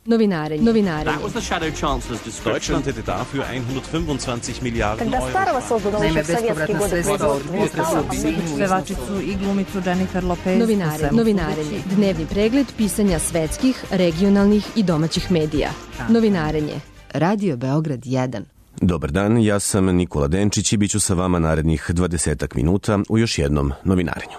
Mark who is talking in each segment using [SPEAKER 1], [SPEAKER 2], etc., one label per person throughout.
[SPEAKER 1] Novinare.
[SPEAKER 2] Deutschland hätte dafür 125 Milliarden
[SPEAKER 3] Когда старого создано еще в советские годы производства.
[SPEAKER 4] Pevačicu i glumicu Jennifer Lopez.
[SPEAKER 1] Novinarenje. Dnevni pregled pisanja svetskih, regionalnih i domaćih medija. Novinarenje. Radio Beograd 1.
[SPEAKER 5] Dobar dan, ja sam Nikola Denčić i bit ću sa vama narednih 20 minuta u još jednom novinarenju.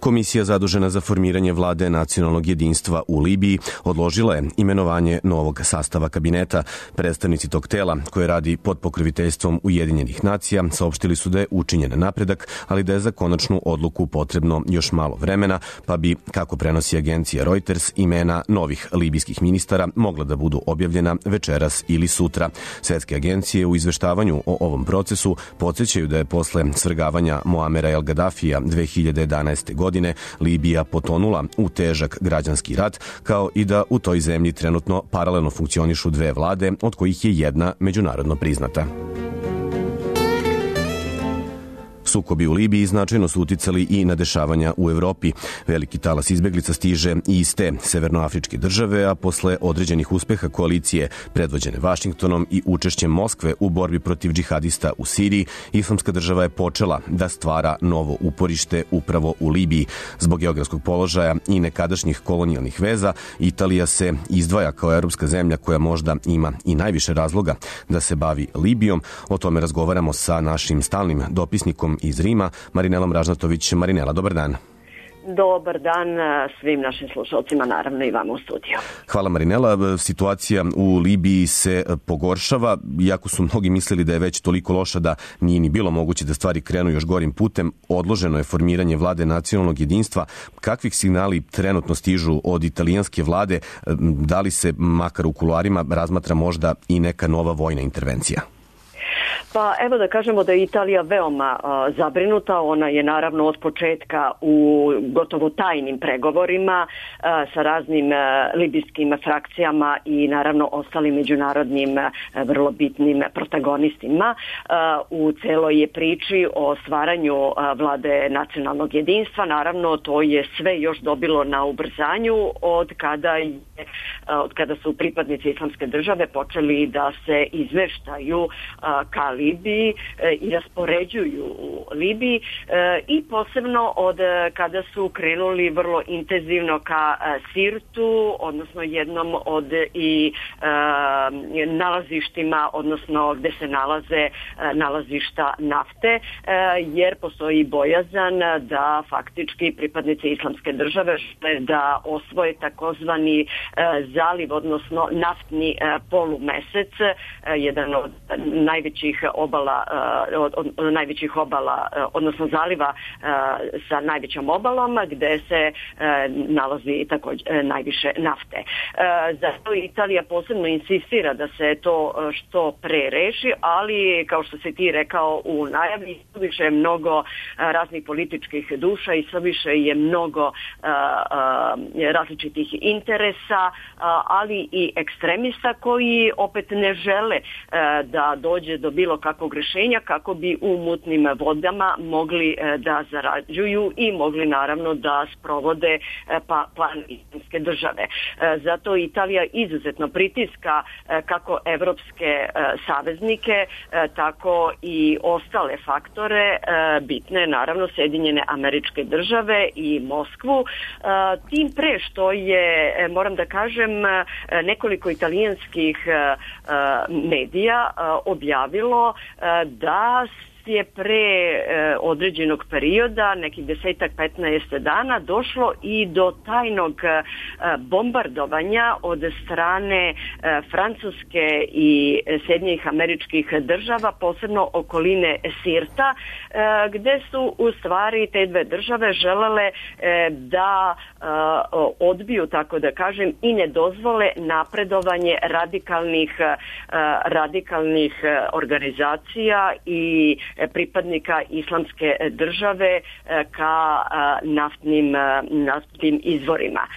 [SPEAKER 5] Komisija zadužena za formiranje vlade nacionalnog jedinstva u Libiji odložila je imenovanje novog sastava kabineta. Predstavnici tog tela, koje radi pod pokroviteljstvom Ujedinjenih nacija, saopštili su da je učinjen napredak, ali da je za konačnu odluku potrebno još malo vremena, pa bi, kako prenosi agencija Reuters, imena novih libijskih ministara mogla da budu objavljena večeras ili sutra. Svetske agencije u izveštavanju o ovom procesu podsjećaju da je posle svrgavanja Muamera El Gaddafija 2011. godine Libija potonula u težak građanski rat, kao i da u toj zemlji trenutno paralelno funkcionišu dve vlade, od kojih je jedna međunarodno priznata. Sukobi u Libiji značajno su uticali i na dešavanja u Evropi. Veliki talas izbeglica stiže i iz te severnoafričke države, a posle određenih uspeha koalicije predvođene Vašingtonom i učešćem Moskve u borbi protiv džihadista u Siriji, Islamska država je počela da stvara novo uporište upravo u Libiji. Zbog geografskog položaja i nekadašnjih kolonijalnih veza, Italija se izdvaja kao evropska zemlja koja možda ima i najviše razloga da se bavi Libijom. O tome razgovaramo sa našim stalnim dopisnikom iz Rima, Marinelom Ražnatović. Marinela, dobar dan.
[SPEAKER 6] Dobar dan svim našim slušalcima, naravno i vama u studiju.
[SPEAKER 5] Hvala, Marinela. Situacija u Libiji se pogoršava, iako su mnogi mislili da je već toliko loša da nije ni bilo moguće da stvari krenu još gorim putem. Odloženo je formiranje vlade nacionalnog jedinstva. Kakvih signali trenutno stižu od italijanske vlade? Da li se, makar u kuloarima, razmatra možda i neka nova vojna intervencija?
[SPEAKER 6] Pa evo da kažemo da je Italija veoma zabrinuta. Ona je naravno od početka u gotovo tajnim pregovorima sa raznim libijskim frakcijama i naravno ostalim međunarodnim vrlo bitnim protagonistima u celoj priči o stvaranju vlade nacionalnog jedinstva. Naravno to je sve još dobilo na ubrzanju od kada su pripadnici Islamske države počeli da se izveštaju ka Libiji i raspoređuju u Libiji i posebno od kada su krenuli vrlo intenzivno ka Sirtu, odnosno jednom od i nalazištima, odnosno gde se nalaze nalazišta nafte, jer postoji bojazan da faktički pripadnici Islamske države žele da osvoje takozvani zaliv, odnosno naftni polumesec, jedan od najvećih obala, odnosno zaliva sa najvećom obalom, gde se nalazi također najviše nafte. Zato Italija posebno insistira da se to što pre reši, ali kao što si ti rekao u najavi, više je mnogo raznih političkih duša i sve više je mnogo različitih interesa, ali i ekstremista koji opet ne žele da dođe do bilo kakvog rješenja kako bi u mutnim vodama mogli da zarađuju i mogli naravno da sprovode plan Islamske države. Zato Italija izuzetno pritiska kako evropske saveznike, tako i ostale faktore bitne, naravno Sjedinjene Američke Države i Moskvu. Tim pre što je, moram da kažem, nekoliko italijanskih medija objavilo da je pre određenog perioda, nekih 10-15 dana, došlo i do tajnog bombardovanja od strane Francuske i Sjedinjenih Američkih Država, posebno okoline Sirta, gde su u stvari te dve države želele da odbiju, tako da kažem, i ne dozvole napredovanje radikalnih organizacija i pripadnika Islamske države ka naftnim izvorima.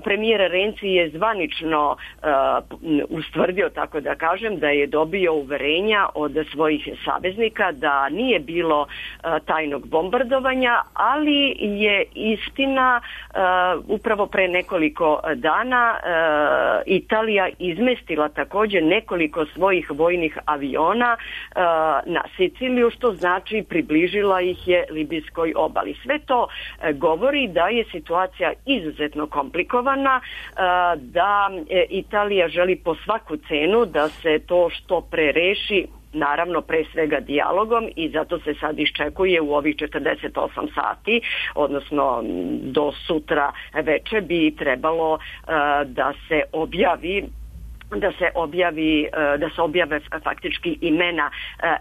[SPEAKER 6] Premijer Renzi je zvanično ustvrdio, tako da kažem, da je dobio uverenja od svojih saveznika da nije bilo tajnog bombardovanja, ali je istina upravo pre nekoliko dana Italija izmestila također nekoliko svojih vojnih aviona na Siciliju, što znači približila ih je libijskoj obali. Sve to govori da je situacija izuzetno komplikovana, da Italija želi po svaku cenu da se to što pre reši, naravno pre svega dijalogom, i zato se sad iščekuje u ovih 48 sati, odnosno do sutra veče bi trebalo da se objave faktički imena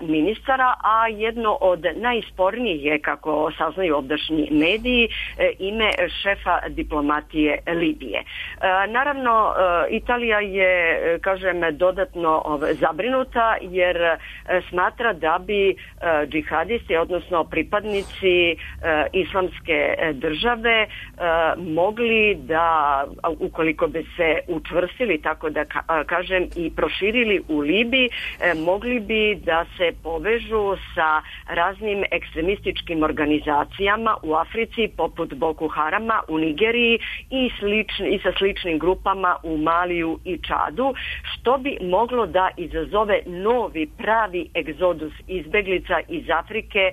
[SPEAKER 6] ministara, a jedno od najspornijih je, kako saznaju ovdašnji mediji, ime šefa diplomatije Libije. Naravno, Italija je, kažem, dodatno zabrinuta jer smatra da bi džihadisti, odnosno pripadnici Islamske države, mogli da, ukoliko bi se učvrstili, tako da kažem, i proširili u Libiji, mogli bi da se povežu sa raznim ekstremističkim organizacijama u Africi, poput Boko Harama u Nigeriji i sa sličnim grupama u Maliju i Čadu, što bi moglo da izazove novi pravi egzodus izbeglica iz Afrike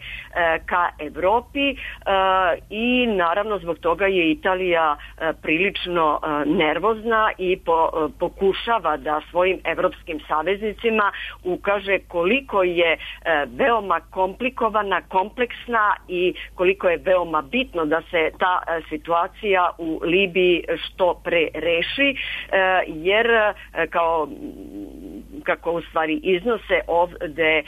[SPEAKER 6] ka Evropi, i naravno zbog toga je Italija prilično nervozna i pokušava da svojim evropskim saveznicima ukaže koliko je veoma komplikovana, kompleksna i koliko je veoma bitno da se ta situacija u Libiji što pre reši, jer kako u stvari iznose ovde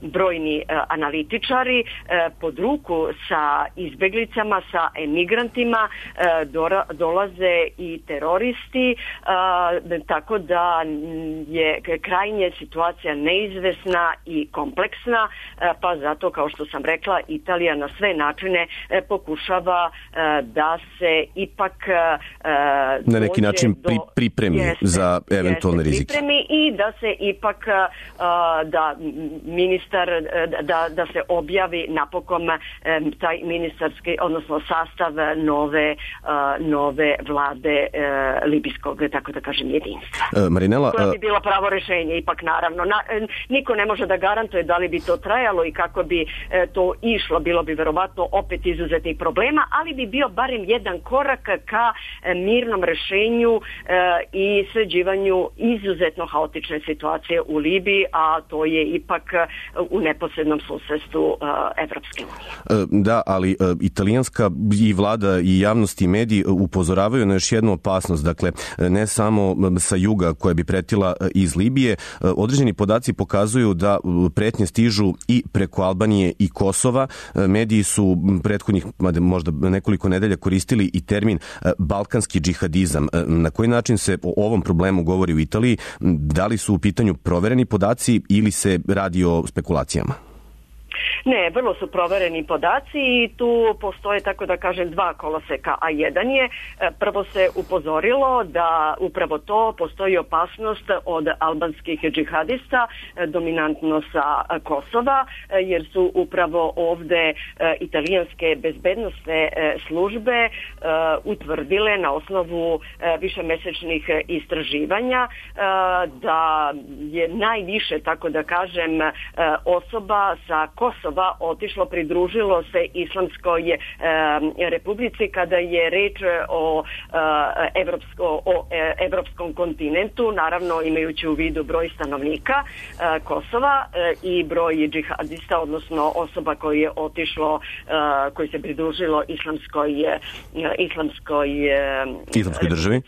[SPEAKER 6] brojni analitičari, pod ruku sa izbeglicama, sa emigrantima dolaze i teroristi, tako da je krajnje situacija neizvesna i kompleksna, pa zato, kao što sam rekla, Italija na sve načine pokušava da se ipak
[SPEAKER 5] na neki način pripremi za eventualne rizike.
[SPEAKER 6] I da se ipak da ministar da se objavi napokon taj ministarski, odnosno sastav nove vlade libijskog, tako da kažem, jedinstva.
[SPEAKER 5] Marinela,
[SPEAKER 6] koja bi bilo pravo rešenje, ipak naravno. Niko ne može da garantuje da li bi to trajalo i kako bi to išlo. Bilo bi verovatno opet izuzetnih problema, ali bi bio barem jedan korak ka mirnom rešenju i sređivanju izuzetno haotične situacije u Libiji, a to je ipak u neposrednom susedstvu Evropske unije.
[SPEAKER 5] Da, ali italijanska i vlada i javnost i mediji upozoravaju na još jednu opasnost. Dakle, ne samo sa juga koja bi pretila iz Libije. Određeni podaci pokazuju da pretnje stižu i preko Albanije i Kosova. Mediji su prethodnih možda nekoliko nedelja koristili i termin balkanski džihadizam. Na koji način se o ovom problemu govori u Italiji? Da li su u pitanju provereni podaci ili se radi o spekulacijama?
[SPEAKER 6] Ne, vrlo su provereni podaci i tu postoje, tako da kažem, dva koloseka, a jedan je, prvo se upozorilo da upravo to postoji opasnost od albanskih džihadista, dominantno sa Kosova, jer su upravo ovde italijanske bezbednosne službe utvrdile na osnovu višemesečnih istraživanja da je najviše, tako da kažem, osoba sa Kosova otišlo, pridružilo se Islamskoj republici kada je reč o evropskom kontinentu, naravno imajući u vidu broj stanovnika Kosova i broj džihadista, odnosno osoba koji je otišlo, koji se pridružilo islamskoj
[SPEAKER 5] državi.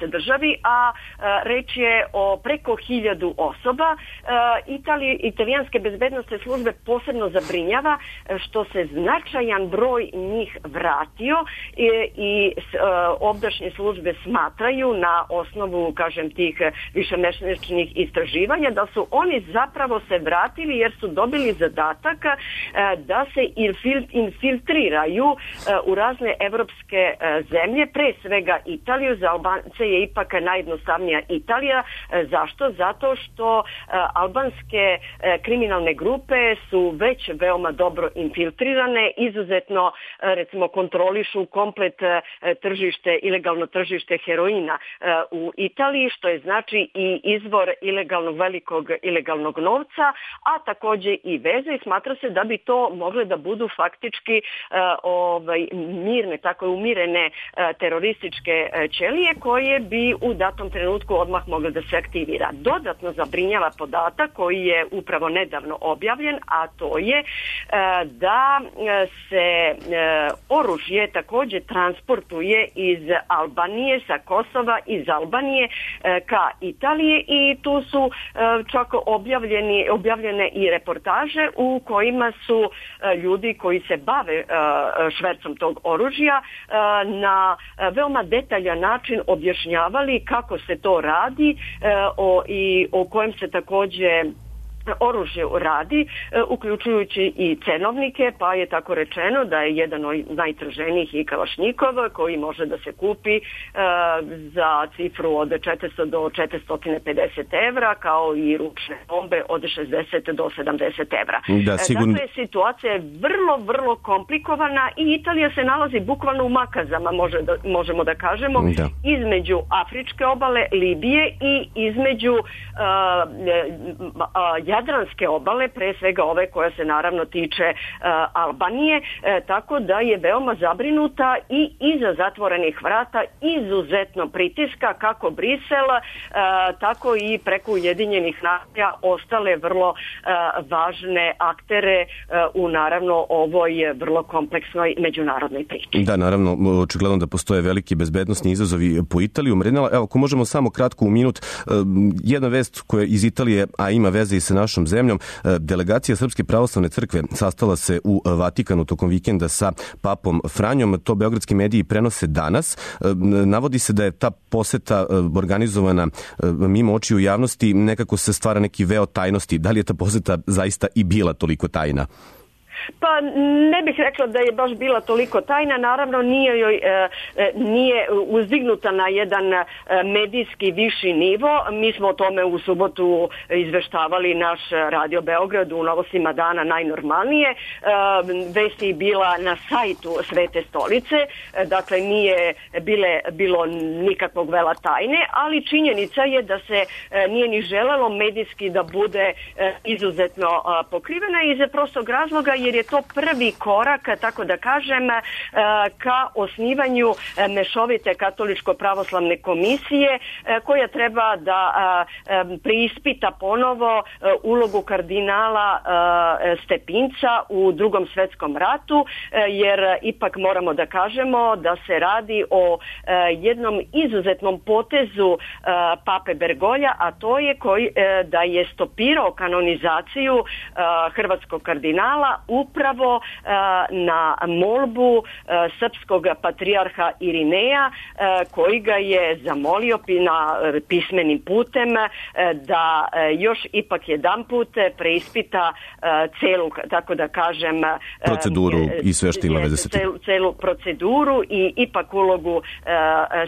[SPEAKER 6] državi, a reč je o preko 1000 osoba. Italijanske bezbednosne službe posebno zabrinjava što se značajan broj njih vratio i ovdašnje službe smatraju na osnovu, kažem, tih višemesečnih istraživanja da su oni zapravo se vratili jer su dobili zadatak da se infiltriraju u razne evropske zemlje, pre svega Italiju. Za Albance je ipak najjednostavnija Italija. Zašto? Zato što albanske kriminalne grupe su već veoma dobro infiltrirane, izuzetno recimo kontrolišu komplet tržište, ilegalno tržište heroina u Italiji, što je znači i izvor velikog ilegalnog novca, a takođe i veze, i smatra se da bi to mogle da budu faktički mirne, tako umirene terorističke ćelije koje bi u datom trenutku odmah mogle da se aktivira. Dodatno zabrinjava podatak koji je upravo nedavno objavljen, a to je da se oružje takođe transportuje iz Albanije, sa Kosova, iz Albanije ka Italije, i tu su čak objavljene i reportaže u kojima su ljudi koji se bave švercom tog oružja na veoma detaljan način objašnjavali kako se to radi i o kojem se takođe oružje radi, uključujući i cenovnike, pa je tako rečeno da je jedan od najtraženijih i Kalašnikov koji može da se kupi za cifru od 400 do 450 evra, kao i ručne bombe od 60 do 70 evra. Dakle, situacija je vrlo komplikovana i Italija se nalazi bukvalno u makazama, možemo da kažemo, između Afričke obale, Libije i između Jadranske obale, pre svega ove koja se naravno tiče Albanije, tako da je veoma zabrinuta i iza zatvorenih vrata izuzetno pritiska kako Brisel, tako i preko Ujedinjenih nacija ostale vrlo važne aktere u naravno ovoj vrlo kompleksnoj međunarodnoj priči.
[SPEAKER 5] Da, naravno, očigledno da postoje veliki bezbednosni izazovi po Italiju. Marinela, evo, ako možemo samo kratko u minut, jedna vest koja iz Italije, a ima veze i sa našom zemljom. Delegacija Srpske pravoslavne crkve sastala se u Vatikanu tokom vikenda sa papom Franjom. To beogradski mediji prenose danas. Navodi se da je ta poseta organizovana mimo očiju javnosti, nekako se stvara neki veo tajnosti. Da li je ta poseta zaista i bila toliko tajna?
[SPEAKER 6] Pa ne bih rekla da je baš bila toliko tajna, naravno nije uzdignuta na jedan medijski viši nivo. Mi smo o tome u subotu izveštavali naš Radio Beograd u Novostima dana najnormalnije. Vest je bila na sajtu Svete stolice, dakle nije bilo nikakvog vela tajne, ali činjenica je da se nije ni želelo medijski da bude izuzetno pokrivena iz prostog razloga jer je to prvi korak, tako da kažem, ka osnivanju mešovite katoličko-pravoslavne komisije koja treba da preispita ponovo ulogu kardinala Stepinca u Drugom svetskom ratu, jer ipak moramo da kažemo da se radi o jednom izuzetnom potezu pape Bergolja, a to je da je stopirao kanonizaciju hrvatskog kardinala upravo na molbu srpskog patrijarha Irineja, koji ga je zamolio pismenim putem da još ipak jedanput preispita celu, tako da kažem,
[SPEAKER 5] proceduru i sve što ima veze sa tim.
[SPEAKER 6] Celu proceduru i ipak ulogu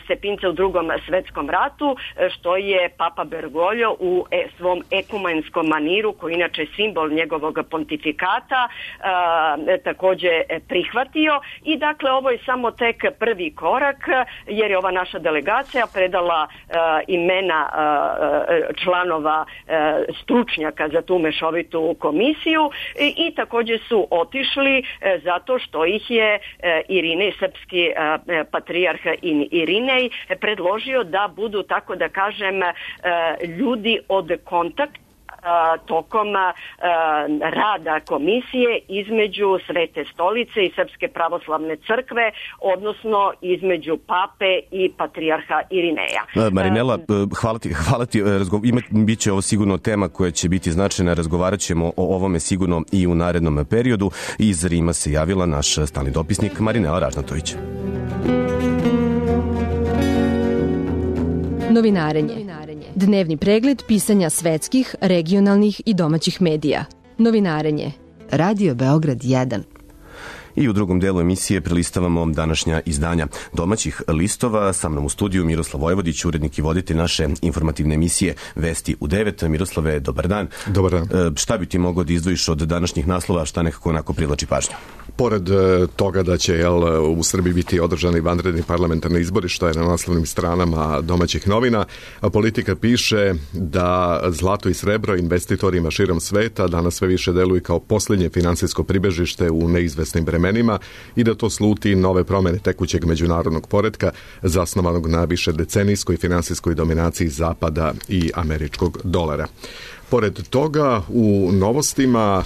[SPEAKER 6] Stepinca u Drugom svetskom ratu, što je papa Bergoglio u svom ekumenskom maniru, koji inače simbol njegovog pontifikata, takođe prihvatio. I dakle ovo je samo tek prvi korak, jer je ova naša delegacija predala imena članova stručnjaka za tu mešovitu komisiju i takođe su otišli zato što ih je Irinej, srpski patrijarh Irinej, predložio da budu, tako da kažem, ljudi od kontakta tokom rada komisije između Svete stolice i Srpske pravoslavne crkve, odnosno između pape i patrijarha Irineja.
[SPEAKER 5] Marinela, hvala ti. Biće ovo sigurno tema koja će biti značajna. Razgovarat ćemo o ovome sigurno i u narednom periodu. Iz Rima se javila naš stalni dopisnik Marinela Ražnatović.
[SPEAKER 1] Novinarenje. Dnevni pregled pisanja svetskih, regionalnih i domaćih medija. Novinarenje. Radio Beograd 1.
[SPEAKER 5] I u drugom delu emisije prelistavamo današnja izdanja domaćih listova. Sa mnom u studiju Miroslav Vojvodić, urednik i voditelj naše informativne emisije Vesti u 9. Miroslave, dobar dan.
[SPEAKER 7] Dobar dan.
[SPEAKER 5] Šta bi ti mogao da izdvojiš od današnjih naslova, šta nekako onako privlači pažnju?
[SPEAKER 7] Pored toga da će u Srbiji biti održani vanredni parlamentarni izbori, što je na naslovnim stranama domaćih novina, Politika piše da zlato i srebro investitorima širom sveta danas sve više deluju kao posljednje finansijsko pribežište u neizvesnim vremenima i da to sluti nove promene tekućeg međunarodnog poretka zasnovanog na više decenijskoj finansijskoj dominaciji Zapada i američkog dolara. Pored toga, u novostima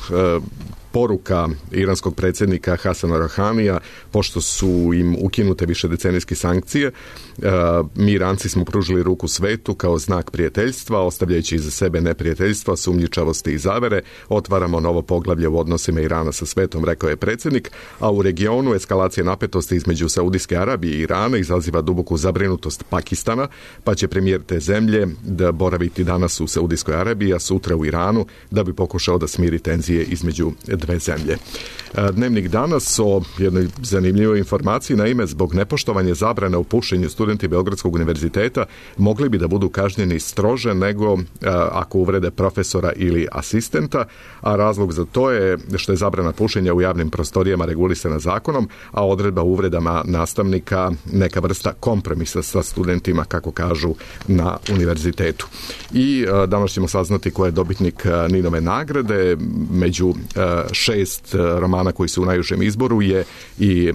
[SPEAKER 7] poruka iranskog predsjednika Hasana Rohanija, pošto su im ukinute višedecenijske sankcije, mi Iranci smo pružili ruku svetu kao znak prijateljstva, ostavljajući iza sebe neprijateljstva, sumnjičavosti i zavere, otvaramo novo poglavlje u odnosima Irana sa svetom, rekao je predsjednik, a u regionu eskalacija napetosti između Saudijske Arabije i Irana izaziva duboku zabrinutost Pakistana, pa će premijer te zemlje da boraviti danas u Saudijskoj Arabiji, a sutra u Iranu, da bi pokušao da smiri tenzije između dve zemlje. Dnevnik danas o jednoj zanimljivoj informaciji, naime, zbog nepoštovanja zabrane o pušenju studenti Beogradskog univerziteta mogli bi da budu kažnjeni strože nego ako uvrede profesora ili asistenta, a razlog za to je što je zabrana pušenja u javnim prostorijama regulisana zakonom, a odredba o uvredama nastavnika neka vrsta kompromisa sa studentima, kako kažu na univerzitetu. I danas ćemo saznati ko je dobitnik Ninove nagrade. Među 6 romana koji su u najužem izboru je i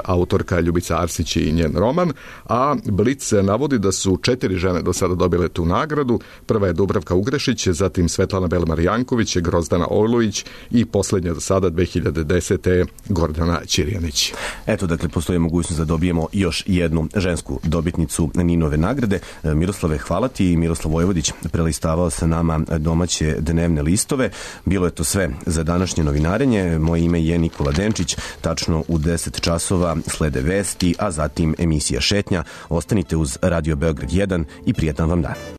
[SPEAKER 7] autorka Ljubica Arsić i njen roman, a Blic navodi da su 4 žene do sada dobile tu nagradu. Prva je Dubravka Ugrešić, zatim Svetlana Belmar-Janković, Grozdana Ojlović i posljednja do sada 2010. Gordana Ćirjanić.
[SPEAKER 5] Eto, dakle, postoji mogućnost da dobijemo još jednu žensku dobitnicu Ninove nagrade. Miroslave, hvala ti. Miroslav Vojvodić prelistavao sa nama domaće dnevne listove. Bilo je to sve za današnje novinarenje. Moje ime je Nikola Denčić. Tačno u 10 časova slede vesti, a zatim emisija Šetnja. Ostanite uz Radio Beograd 1 i prijetan vam dan.